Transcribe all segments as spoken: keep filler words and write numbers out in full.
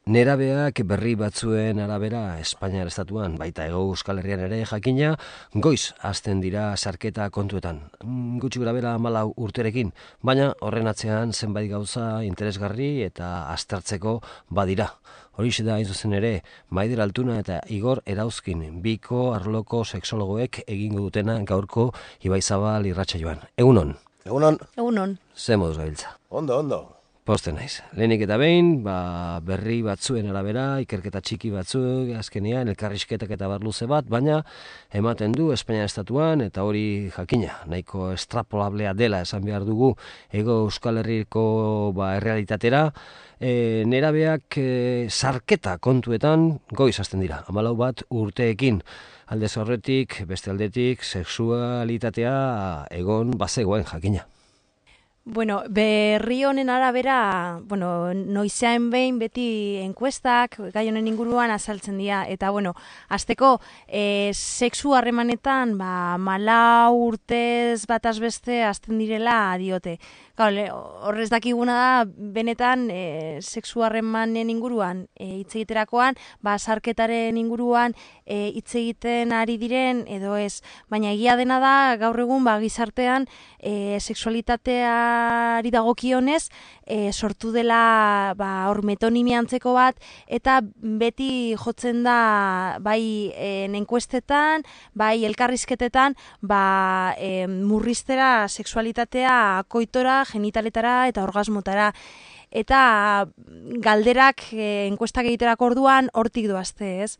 Nerabeak berri batzuen arabera Espainiar estatuan, baita Hego Euskal Herrian ere jakina, goiz hasten dira sarketa kontuetan. Gutxi grabera hamalau urterekin, baina horren atzean zenbait gauza interesgarri eta aztertzeko badira. Horixe da hain zuzen ere, Maider Altuna eta Igor Erauzkin, biko arloko sexologoek egingo dutena gaurko Ibaizabal irratsaioan. Egunon. Egunon. Egunon. Ze moduz gabiltza? Ondo, ondo. Poste naiz. Lehenik eta behin, ba, berri batzuen arabera, ikerketa txiki batzuk, azkenean, elkarrizketak eta barluze bat, baina ematen du Espainia estatuan, eta hori jakina, nahiko estrapolablea dela esan behar dugu, Hego Euskal Herriko ba, errealitatera, e, nerabeak e, sarketa kontuetan goiz hasten dira, hamalau bat urteekin. Aldez horretik, beste aldetik, sexualitatea egon bazegoen jakina. Bueno, berri honen arabera, bueno, noizean behin beti enkuestak gai honen inguruan azaltzen dira, eta bueno, hasteko e, sexu harremanetan ba, malau urtez bataz beste hasten direla diote. Horrez dakiguna da, benetan e, sexu harremanen inguruan e, hitz egiterakoan, ba, sarketaren inguruan e, hitz egiten ari diren edo ez. Baina egia dena da, gaur egun ba, gizartean e, sexualitateari dagokionez e, sortu dela ba, hor metonimia antzeko bat, eta beti jotzen da bai e, enkuestetan, bai elkarrizketetan, ba, e, murriztera sexualitatea koitora, genitaletara eta orgasmotara. Eta galderak e, enkuestak egiterako orduan hortik doazte, ez?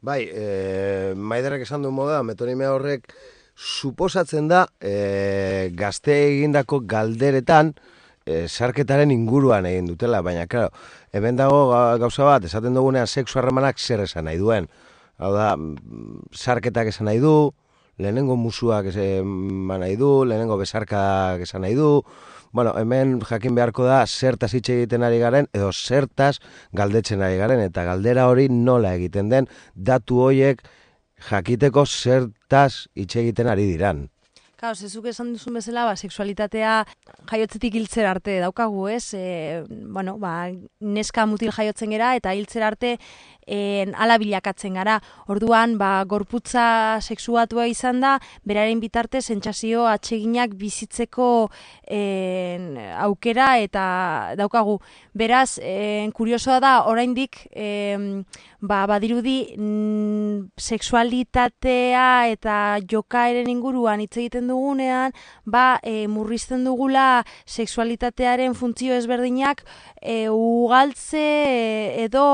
Bai, e, Maiderrek esan du moda, metonimia horrek suposatzen da e, gazte egindako galderetan e, sarketaren inguruan egin dutela, baina, claro, hemen dago gauza bat, esaten dugunean sexu harremanak zer esan nahi duen. Hau da, sarketak esan nahi du, lehenengo musuak esan nahi du, lehenengo besarkak esan nahi du. Bueno, hemen jakin beharko da zertaz hitz egiten ari garen edo zertaz galdetzen ari garen, eta galdera hori nola egiten den datu horiek jakiteko zertaz hitz egiten ari diran. Claro, zezuk esan duzun bezala, ba, sexualitatea jaiotzetik hiltzera arte daukagu, ez? E, bueno, ba, neska mutil jaiotzen gera eta hiltzera arte en, ala bilakatzen gara. Orduan, ba, gorputza sexuatua izan da, beraren bitarte sentsazio atseginak bizitzeko en, aukera eta daukagu. Beraz, en, kuriosoa da, oraindik en, ba, badirudi mm, sexualitatea eta jokaeren inguruan hitz egiten dugunean, ba, e, murrizten dugula sexualitatearen funtzio ezberdinak e, ugaltze e, edo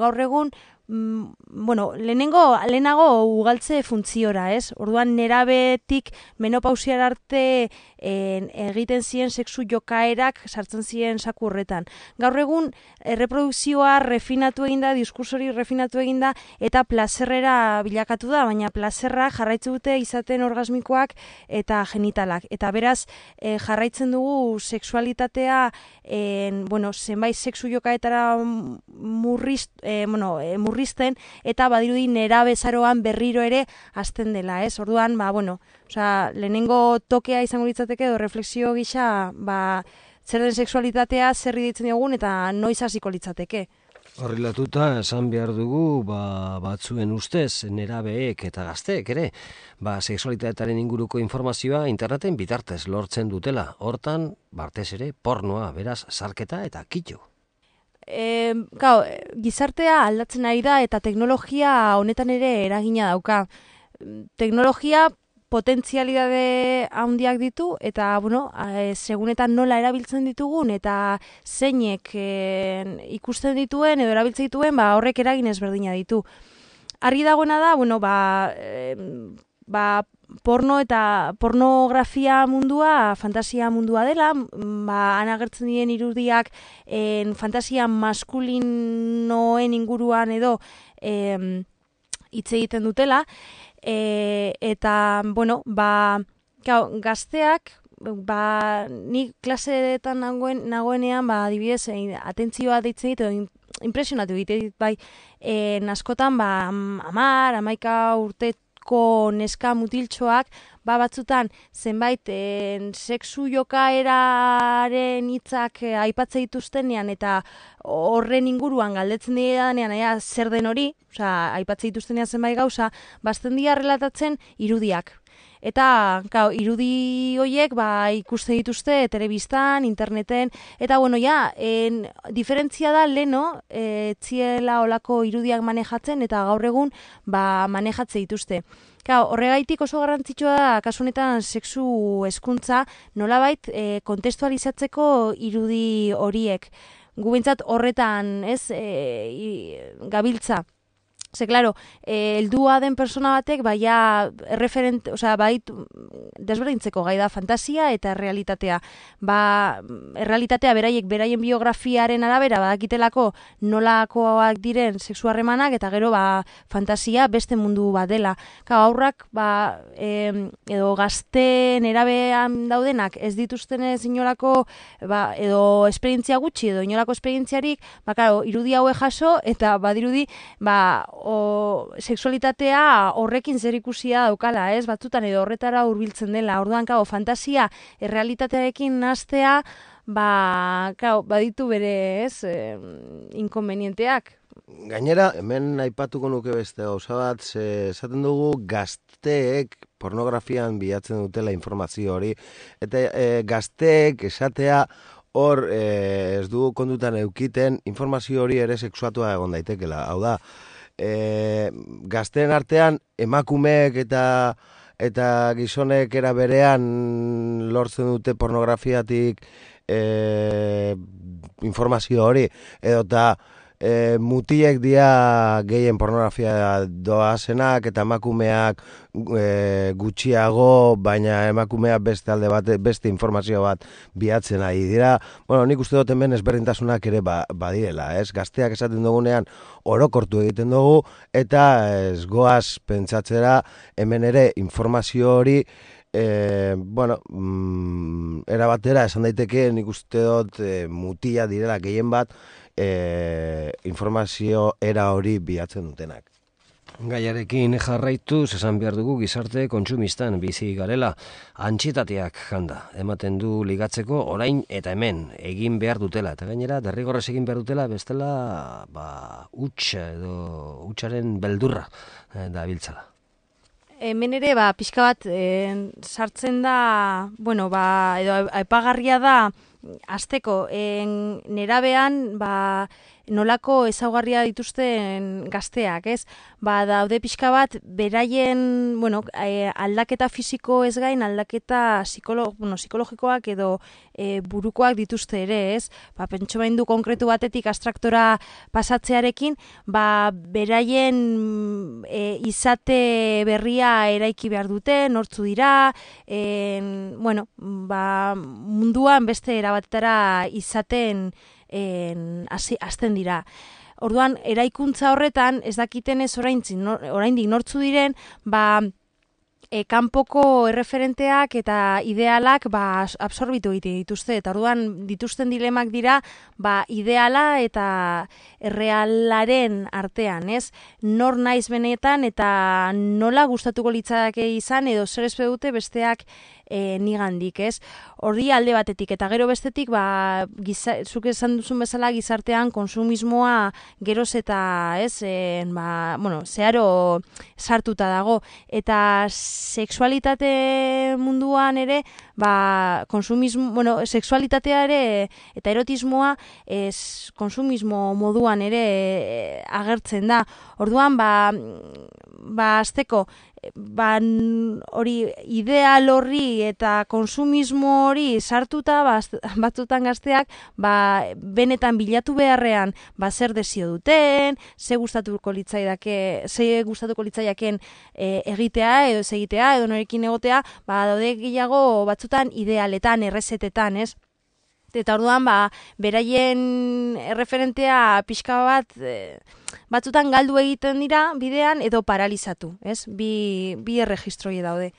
gaur egun mm, bueno, lehenengo, lehenago ugaltze funtziora, ez? Orduan nerabetik menopausiara arte en, egiten ziren sexu jokaerak sartzen ziren saku horretan. Gaur egun erreprodukzioa refinatu eginda, diskursori refinatu eginda eta plazerrera bilakatu da, baina plazerra jarraitzen dute izaten orgasmikoak eta genitalak. Eta beraz e, jarraitzen dugu sexualitatea en, bueno, zenbait sexu jokaetara murriz, e, bueno, e, murrizten, eta badirudi nerabezaroan berriro ere hasten dela, ez? Orduan, ba, bueno, osea, lehenengo tokea izango litzateke edo refleksio gisa, ba, zer den sexualitatea, zer ditzen diogun eta noiz hasiko litzateke. Horrelatuta esan behar dugu ba, batzuen ustez nerabeek eta gazteek ere, ba, sexualitatearen inguruko informazioa interneten bitartez lortzen dutela. Hortan, bartez ere, pornoa, beraz, sarketa eta kitxo. E, gau, gizartea aldatzen ari da eta teknologia honetan ere eragina dauka. Teknologia potentzialidade handiak ditu eta bueno, e, segunetan nola erabiltzen ditugun eta zeinek e, ikusten dituen edo erabiltzen dituen, ba, horrek eragin ezberdina ditu. Argi dagoena da, bueno, ba, e, ba, porno eta pornografia mundua fantasia mundua dela, ba, anagertzen diren irudiak en, fantasia maskulinoen inguruan edo em, hitz egiten dutela, e, eta, bueno, ba, gau, gazteak, ba, ni klaseetan nagoen, nagoenean, ba, adibidez, atentzioa deitzen ditu, impresionatu egiten dit, bai, en, askotan, ba, amar, amaika urte ko neska mutiltxoak ba batzutan zenbait en, sexu jokaeraren hitzak e, aipatze dituztenean eta horren inguruan galdetzen didanean ea zer den hori, osea aipatze dituztenean zenbait gauza, bazten dira relatatzen irudiak. Eta, gau, irudi horiek ba, ikuste dituzte telebistan, interneten, eta, bueno, ja, en, diferentzia da, leno, e, txiela olako irudiak manejatzen, eta gaur egun, ba, manejatze dituzte. Gau, horregaitik oso garrantzitsua da, kasu honetan, sexu hezkuntza nolabait, e, kontestualizatzeko irudi horiek. Gu bintzat horretan, ez, e, gabiltza. Ze, klaro, eh, heldua den persona batek, baia, referent, osea, bait, desberdintzeko gai da fantasia eta errealitatea. Ba, errealitatea beraiek, beraien biografiaren arabera, badakitelako nolakoak diren sexu harremanak, eta gero, ba, fantasia beste mundu bat dela. Ka, aurrak, ba, eh, edo gazte nerabean daudenak, ez dituztenez inolako, ba, edo esperientzia gutxi, edo inolako esperientziarik, ba, claro, irudi haue jaso, eta badirudi, ba, o sexualitatea horrekin zer ikusia daukala, ez? Batzutan edo horretara hurbiltzen dela. Orduan, kao, fantasia errealitatearekin nastea, ba, kao, baditu bere, ez, eh, inkonvenienteak. Gainera, hemen aipatuko nuke beste gauza bat, ze esaten dugu gazteek pornografian bilatzen dutela informazio hori, eta e, gazteek esatea hor e, ez du kondutan eukiten informazio hori ere sexuatua egon daitekela. Hau da, E, gazteen artean emakumeek eta eta gizonek era berean lortzen dute pornografiatik e, informazio hori, edota e, mutilek dia gehien pornografia doazenak eta emakumeak e, gutxiago, baina emakumeak beste alde bat, beste informazio bat bilatzen ari dira. Bueno, nik uste dut hemen ezberdintasunak ere ba, badirela, ez? Gazteak esaten dugunean orokortu egiten dugu, eta ez goaz pentsatzera hemen ere informazio hori e, bueno, mm, era batera esan daiteke nik uste dut e, mutila direla gehien bat e, informazio era hori bilatzen dutenak. Gaiarekin jarraituz esan behar dugu gizarte kontsumistan bizi garela, antxietateak janda, ematen du ligatzeko orain eta hemen egin behar dutela, eta gainera derrigorrez egin behar dutela bestela ba, huts edo hutsaren beldurra eh, da biltzala. Hemen ere, ba, pixka bat eh, sartzen da, bueno, ba, edo aipagarria da, azteko, en, nerabean, ba, nolako ezaugarria dituzten gazteak, ez? Ba, daude pixka bat, beraien, bueno, e, aldaketa fisiko ez gain, aldaketa psikolo, bueno, psikologikoak edo e, burukoak dituzte ere, ez? Ba, pentso behin du konkretu batetik abstraktora pasatzearekin, ba, beraien e, izate berria eraiki behar dute, nortzu dira, en, bueno, ba, munduan beste erabatera izaten En, azten dira. Orduan, eraikuntza horretan, ez dakiten ez oraindik nortzu diren, ba, e, kanpoko erreferenteak eta idealak ba, absorbitu egite dituzte. Eta orduan, dituzten dilemak dira, ba, ideala eta errealaren artean, ez? Nor naiz benetan eta nola gustatuko litzake izan edo zer espe dute besteak E, nigandik, ez? Horri alde batetik, eta gero bestetik, ba, giza, zuk esan duzun bezala gizartean konsumismoa geroz eta, ez, e, ba, bueno, zeharo sartuta dago, eta sexualitate munduan ere, ba, konsumismo, bueno, sexualitatea ere, eta erotismoa, ez, konsumismo moduan ere e, agertzen da. Orduan, ba, ba, azteko, ba, hori ideal horri eta konsumismo hori sartuta batzutan gazteak ba, benetan bilatu beharrean ba, zer desio duten, ze gustatuko litzaidake, ze gustatuko litzaidaken e, egitea edo ez egitea edo norekin egotea, ba, daude gehiago batzutan idealetan, errezetetan, ez? Eta orduan, ba, beraien erreferentea pixka bat e, batzutan galdu egiten dira bidean edo paralizatu, ez? Bi, bi erregistroi daude.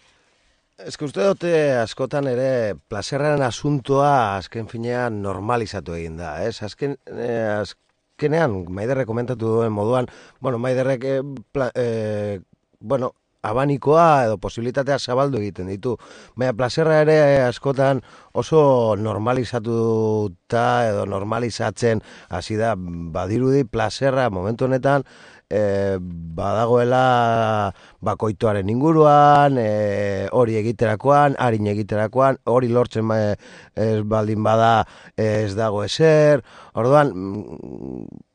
Ez que uste dute askotan ere plazerraren asuntoa azken finean normalizatu egin da, ez? Azken, eh, azkenean, Maiderrek komentatu duen moduan, bueno, Maiderrek, eh, pla, eh, bueno, abanikoa edo posibilitatea zabaldu egiten ditu. Baina plazerra ere askotan oso normalizatuta edo normalizatzen hasi da, badirudi plazerra momentu honetan e, badagoela bakoitoaren inguruan, e, hori egiterakoan, harin egiterakoan, hori lortzen e, ez baldin bada ez dago ezer. Orduan,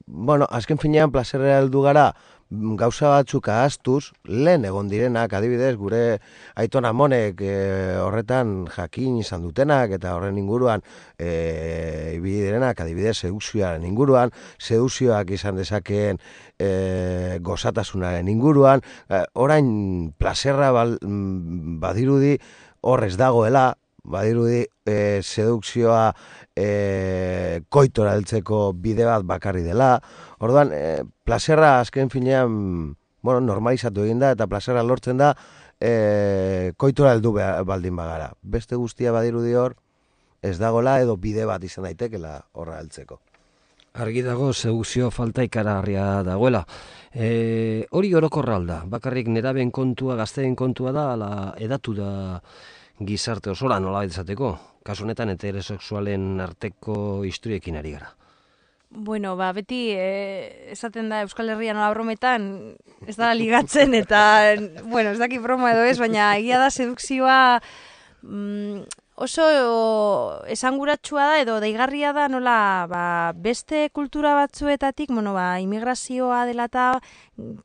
bueno, azken finean plazerra heldu gara, gauza batzuk ahaztuz, lehen egon direnak, adibidez, gure Aiton Amonek e, horretan jakin izan dutenak, eta horren inguruan e, ibili direnak, adibidez, sedukzioaren inguruan, sedukzioak izan dezakeen e, gozatasunaren inguruan, e, orain plazerra bal, badirudi horrez dagoela, badirudi e, sedukzioa e, koitora heltzeko bide bat bakarri dela. Orduan, e, plazerra azken finean, bueno, normalizatu egin da, eta plazerra lortzen da e, koitora heldu baldin bagara. Beste guztia badirudi hor, ez dagola edo bide bat izan daitekela horra heltzeko. Argi dago sedukzio falta ikaragarria dagoela. E, hori orokorra alda, bakarrik neraben kontua, gazteen kontua da, ala edatu da gizarte osora nola izateko. Kasu honetan heterosexualen arteko historiekin ari gara. Bueno, ba, beti eh, esaten da Euskal Herria nola brometan ez da ligatzen eta, bueno, ez daki broma edo ez, baina egia da sedukzioa mm, oso esanguratsua da edo deigarria da nola ba, beste kultura batzuetatik, bueno, ba, immigrazioa dela eta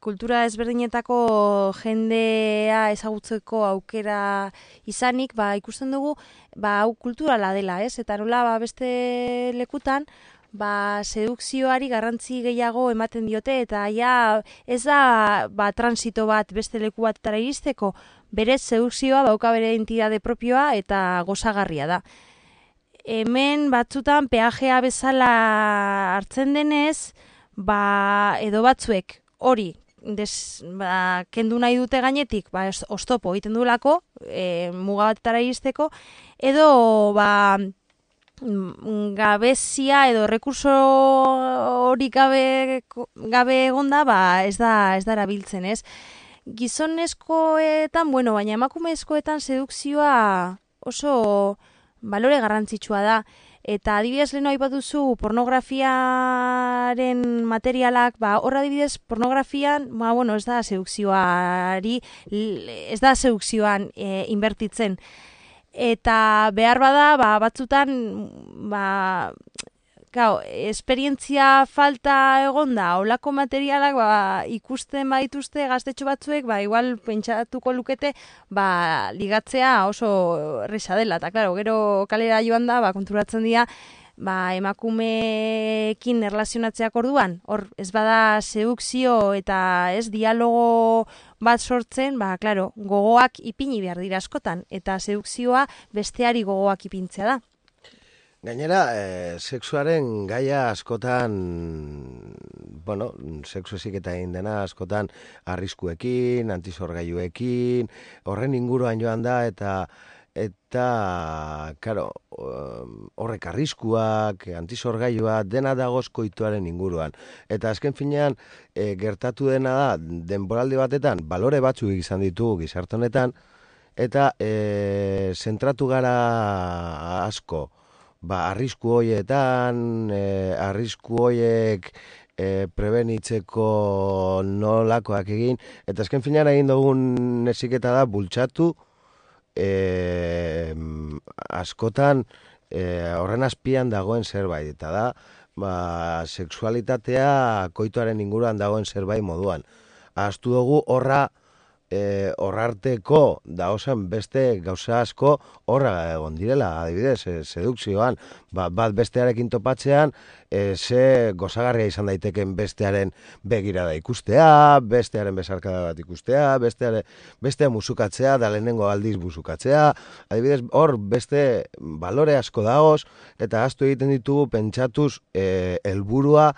kultura ezberdinetako jendea ezagutzeko aukera izanik, ba, ikusten dugu ba, hau kulturala dela, ez? Eta nola ba, beste lekutan ba, sedukzioari garrantzi gehiago ematen diote, eta ja ez da ba, transito bat beste leku batetara iristeko, berez sedukzioa dauka bere entidade propioa eta gozagarria da. Hemen batzutan peajea bezala hartzen denez, ba, edo batzuek hori des, ba, kendu nahi dute gainetik, ba, oztopo egiten duelako, e, muga batetara iristeko, edo ba, gabezia edo rekurso hori gabe, gabe egonda, ba, ez da, ez da erabiltzen, ez? Gizonezkoetan, bueno, baina emakumezkoetan sedukzioa oso balore garrantzitsua da. Eta adibidez leheno aipatuzu pornografiaren materialak, ba, horra adibidez pornografian, ba, bueno, ez da sedukzioari, ez da sedukzioan e, inbertitzen. Eta behar bada, ba, batzutan, ba, gau, esperientzia falta egonda, holako materialak ba, ikusten baituzte gaztetxo batzuek, ba, igual pentsatuko lukete, ba, ligatzea oso erresa dela. Eta, klaro, gero kalera joan da, ba, konturatzen dira, ba, emakumeekin erlazionatzeak orduan, hor, ez bada sedukzio eta ez dialogo bat sortzen, ba, klaro, gogoak ipini behar dira askotan, eta sedukzioa besteari gogoak ipintzea da. Gainera, e, sexuaren gaia askotan, bueno, sexu eziketa egin dena askotan arriskuekin, antizorgailuekin, horren inguruan joan da, eta eta, karo, horrek arriskuak, antizorgailua, dena dagoz koituaren inguruan. Eta azken finean, e, gertatu dena da, denboraldi batetan, balore batzuk izan ditugu gizarte honetan, eta e, zentratu gara asko, ba, arrisku hoietan, e, arrisku hoiek e, prebenitzeko nolakoak egin, eta azken finean egin dugun eziketa da bultzatu, e, askotan e, horren azpian dagoen zerbait, eta da, ba, sexualitatea koitoaren inguruan dagoen zerbait moduan. Ahaztu dugu horra, E, horrarteko da osan beste gauza asko horra egon direla, adibidez, e, sedukzioan, ba, bat bestearekin topatzean, e, ze gozagarria izan daiteken bestearen begirada ikustea, bestearen besarkada bat ikustea, besteare, bestea musukatzea, da lehenengo aldiz musukatzea, adibidez, hor beste balore asko dagoz, eta ahaztu egiten ditugu pentsatuz e, helburua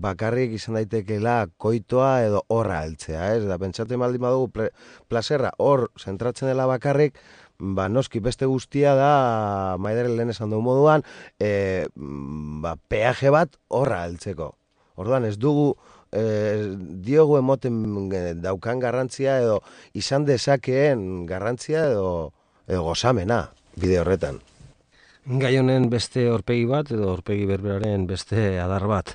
bakarrik izan daitekeela koitoa edo horra heltzea, ez? Da, pentsatzen baldin badugu plazerra hor zentratzen dela bakarrik, ba, noski beste guztia da, Maideren lehen esan dugu moduan, e, ba, peaje bat horra heltzeko. Orduan ez dugu e, diogu emoten daukan garrantzia edo izan dezakeen garrantzia edo, edo gozamena bide horretan. Gai honen beste aurpegi bat edo aurpegi berberaren beste adar bat.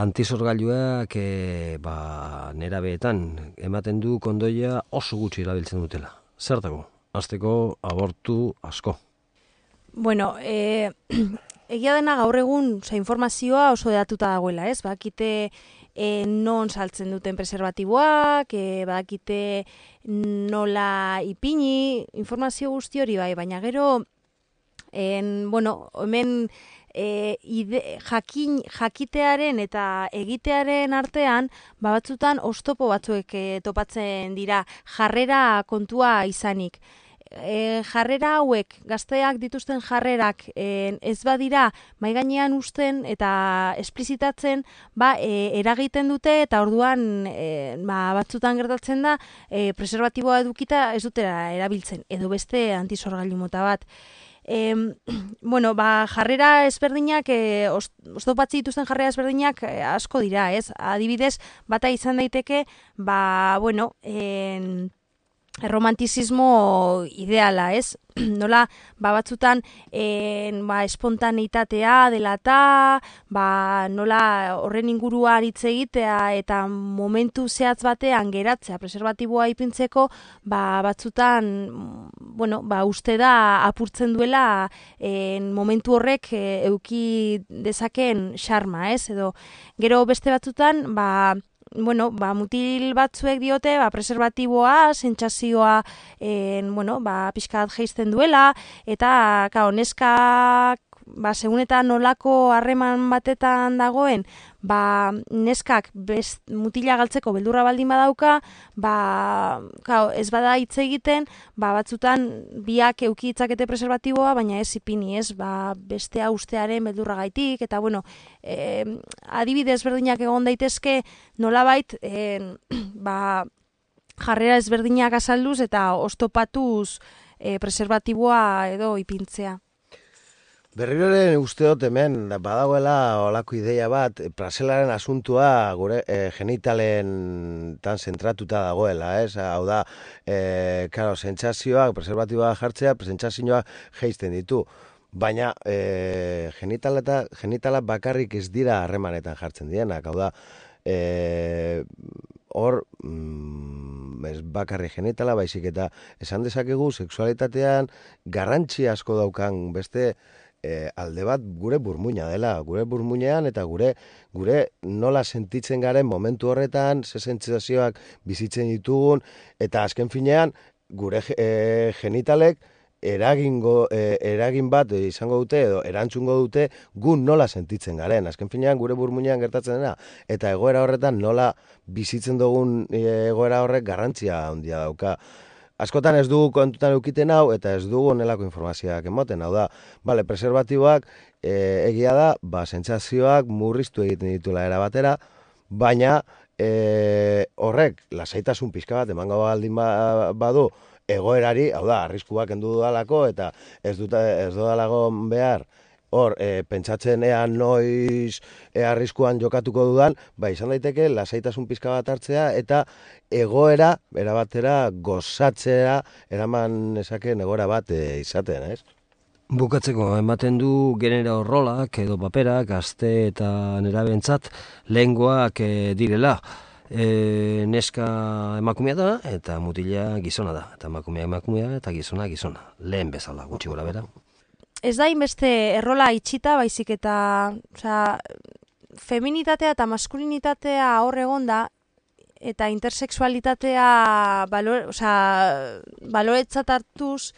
Antizorgailuak e, ba, nerabeetan ematen du kondoia oso gutxi erabiltzen dutela. Zertako? Hasteko abortu asko. Bueno, e, egia dena gaur egun oza, informazioa oso datuta dagoela, ez? Bakite e, non saltzen duten preservatiboak, e, bakite nola ipini, informazio guzti hori bai, baina gero En, bueno, hemen e, ide, jakin, jakitearen eta egitearen artean, ba batzutan oztopo batzuek e, topatzen dira jarrera kontua izanik. E, jarrera hauek, gazteak dituzten jarrerak e, ez badira mai gainean uzten eta esplizitatzen, ba, e, eragiten dute eta orduan e, ba, batzutan gertatzen da e, preservatiboa edukita ez dutera erabiltzen, edo beste antizorgailu mota bat. E, bueno, ba, jarrera ezberdinak, e, oztopatzi dituzten jarrera ezberdinak e, asko dira, ez? Adibidez, bata izan daiteke, ba, bueno, en, romantizismo ideala, ez? Nola, ba, batzutan en, ba, espontaneitatea dela eta, ba, nola horren inguruan hitz egitea eta momentu zehatz batean geratzea preservatiboa ipintzeko, ba, batzutan, bueno, ba, uste da apurtzen duela en, momentu horrek e, euki dezakeen xarma, ez? Edo, gero beste batzutan, ba, bueno, ba, mutil batzuek diote, ba, preservatiboa, sentsazioa, en, bueno, ba, pixkat jeizten duela, eta, kao, neskak, ba, segun eta nolako harreman batetan dagoen, ba, neskak best, mutila galtzeko beldurra baldin badauka, ba, kao, ez bada hitz egiten, ba, batzutan biak euki itzakete preservatiboa, baina ez ipini, ez, ba, bestea ustearen beldurra gaitik, eta, bueno, e, adibidez berdinak egon daitezke, nolabait, e, ba, jarrera ezberdinak azalduz eta oztopatuz e, preservatiboa edo ipintzea. Berriroren usteot hemen badagoela olako ideia bat, plazelaren asuntua gure e, genitalen tan zentratuta dagoela, ez? Hau da, e, karo, sentsazioak, preservatiboa jartzea, sentsazioak jeizten ditu. Baina e, genitala eta genitala bakarrik ez dira harremanetan jartzen dienak, hau da, e, hor mm, ez bakarri genitala, baizik eta esan dezakegu sexualitatean garrantzi asko daukan beste E, alde bat gure burmuina dela, gure burmuinean eta gure gure nola sentitzen garen momentu horretan, ze sentsazioak bizitzen ditugun, eta azken finean gure e, genitalek eragingo, e, eragin bat izango dute edo erantzungo dute gu nola sentitzen garen. Azken finean gure burmuinean gertatzen dena, eta egoera horretan nola bizitzen dugun e, egoera horrek garrantzia handia dauka. Askotan ez dugu kontutan eukiten hau, eta ez dugu onelako informazioak emoten, hau da, bale, preservatiboak e, egia da, ba, sentsazioak murriztu egiten dituela era batera, baina e, horrek, lasaitasun pixka bat, emango baldin ba, badu, egoerari, hau da, arriskuak endu dudalako, eta ez dut ez dudalago behar, hor, e, pentsatzen ea noiz e, arriskuan jokatuko dudan, ba, izan daiteke, lasaitasun pizka bat hartzea, eta egoera, erabatera, gozatzea, eraman esaken egoera bat e, izaten, ez? Bukatzeko, ematen du genero rolak edo paperak, gazte eta nerabentzat, lehengoak e, direla. E, neska emakumea da, eta mutila gizona da. Eta emakumea emakumea, eta gizona gizona. Lehen bezala, gutxi gora bera. Ez da inbeste errola itxita, baizik eta, osea, feminitatea eta maskulinitatea hor egon da, eta intersexualitatea balore, osea, baloretzat hartuz,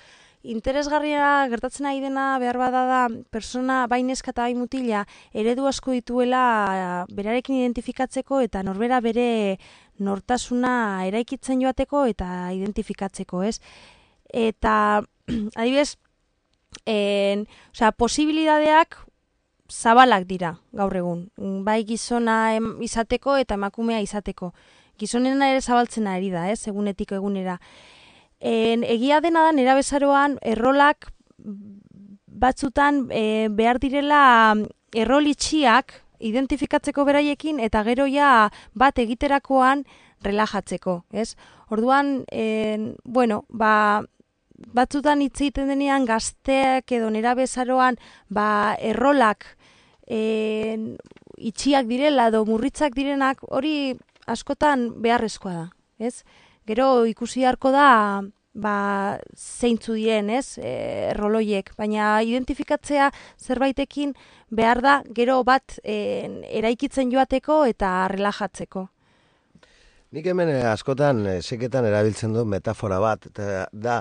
interesgarria gertatzen ari dena behar bada da, persona bai neska eta bai mutila eredu asko dituela berarekin identifikatzeko eta norbera bere nortasuna eraikitzen joateko eta identifikatzeko, ez? Eta, adibidez, En, osea, posibilidadeak zabalak dira gaur egun. Bai gizona em, izateko eta emakumea izateko. Gizonena ere zabaltzen ari da, ez, egunetiko egunera. En, egia dena da, nerabezaroan errolak batzutan e, behar direla errol itxiak identifikatzeko beraiekin eta gero ja bat egiterakoan relajatzeko, ez? Orduan, en, bueno, ba, batzutan hitz egiten denean gazteak edo nerabezaroan ba, errolak en, itxiak direla edo murritzak direnak, hori askotan beharrezkoa da, ez? Gero ikusi beharko da ba, zeintzu dien, ez, e, erroloiek, baina identifikatzea zerbaitekin behar da gero bat e, eraikitzen joateko eta relajatzeko. Nik hemen eh, askotan eh, seketan erabiltzen du metafora bat, eta da,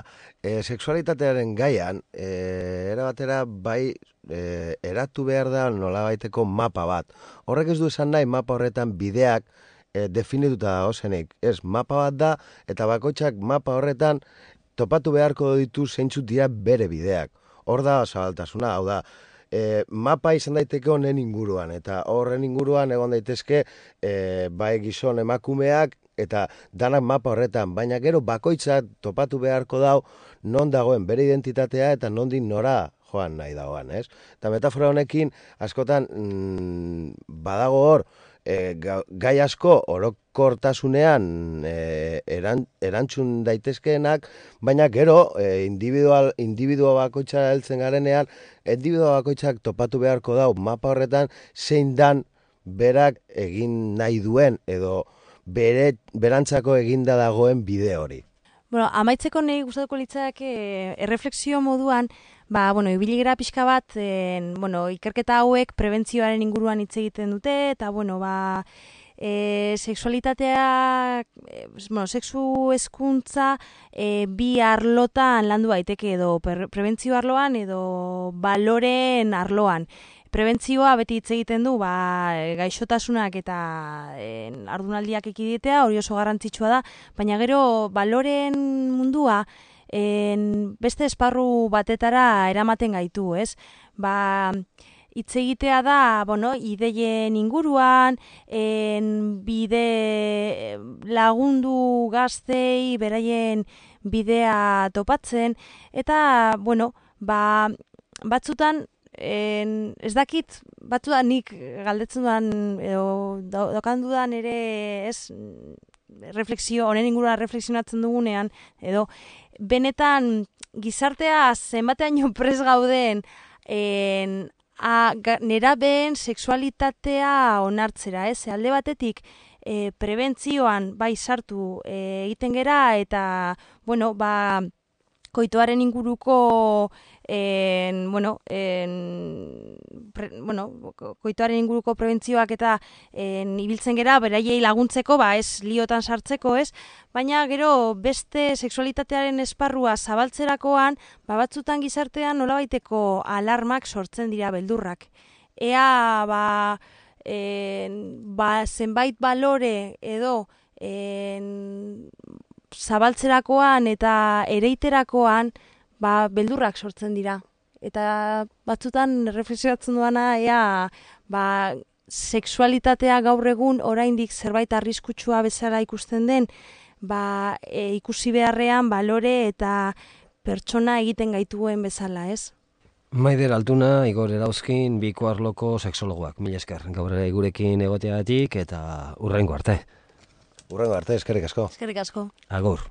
eh, sexualitatearen gaian, eh, erabatera bai eh, eratu behar da nolabaiteko mapa bat. Horrek ez du esan nahi mapa horretan bideak eh, definituta da ozenik. Ez, mapa bat da, eta bakoitzak mapa horretan topatu beharko ditu zeintzuk dira bere bideak. Hor da zabaltasuna, hau da, E, mapa izan daiteke honen inguruan, eta horren inguruan egon daitezke e, bai gizon emakumeak eta danak mapa horretan, baina gero bakoitzak topatu beharko dau non dagoen bere identitatea eta nondik nora joan nahi dagoan, ez? Eta metafora honekin askotan mm, badago hor, e, gai asko orokortasunean e, eran, erantzun daitezkeenak, baina gero e, individual, individua bakoitza heltzen garenean, individua bakoitzak topatu beharko dau mapa horretan zein dan berak egin nahi duen edo bere, berantzako eginda dagoen bide hori. Bueno, amaitzeko nahi gustatuko litzake erreflexio moduan, ba, bueno, ibili gara pixka bat, en, bueno, ikerketa hauek prebentzioaren inguruan hitz egiten dute, eta, bueno, ba, e, sexualitatea, e, bueno, sexu hezkuntza e, bi arlotan landu daiteke edo per, prebentzio arloan edo baloren arloan. Prebentzioa beti hitz egiten du, ba, gaixotasunak eta en, ardunaldiak ekiditea, hori oso garrantzitsua da, baina gero baloren mundua en, beste esparru batetara eramaten gaitu, ez? Ba, hitz egitea da, bueno, ideien inguruan, en, bide lagundu gaztei beraien bidea topatzen, eta, bueno, ba, batzutan, En, ez dakit, batzu da nik galdetzen dudan, edo daukan dudan ere, ez, refleksio, honen inguruan refleksionatzen dugunean, edo, benetan gizartea zenbateaino pres gauden en, a, ga, nerabeen sexualitatea onartzera, ez, alde batetik, e, prebentzioan bai sartu e, egiten gera, eta, bueno, ba, koitoaren inguruko en, bueno, en, pre, bueno, koitoaren inguruko prebentzioak eta en, ibiltzen gera beraiei laguntzeko, ba ez liotan sartzeko, ez? Baina gero beste sexualitatearen esparrua zabaltzerakoan, ba batzutan gizartean nolabaiteko alarmak sortzen dira, beldurrak. Ea ba, en, ba zenbait balore edo en, zabaltzerakoan eta ereiterakoan ba, beldurrak sortzen dira. Eta batzutan reflexionatzen duana ea ba, sexualitatea gaur egun oraindik zerbait arriskutsua bezala ikusten den, ba, e, ikusi beharrean balore eta pertsona egiten gaituen bezala, ez? Maider Altuna, Igor Erauzkin, biko arloko sexologoak. Mila esker, gaur ere gurekin egoteagatik eta hurrengo arte. Hurrengo arte, eskerrik asko. Eskerrik asko. Agur.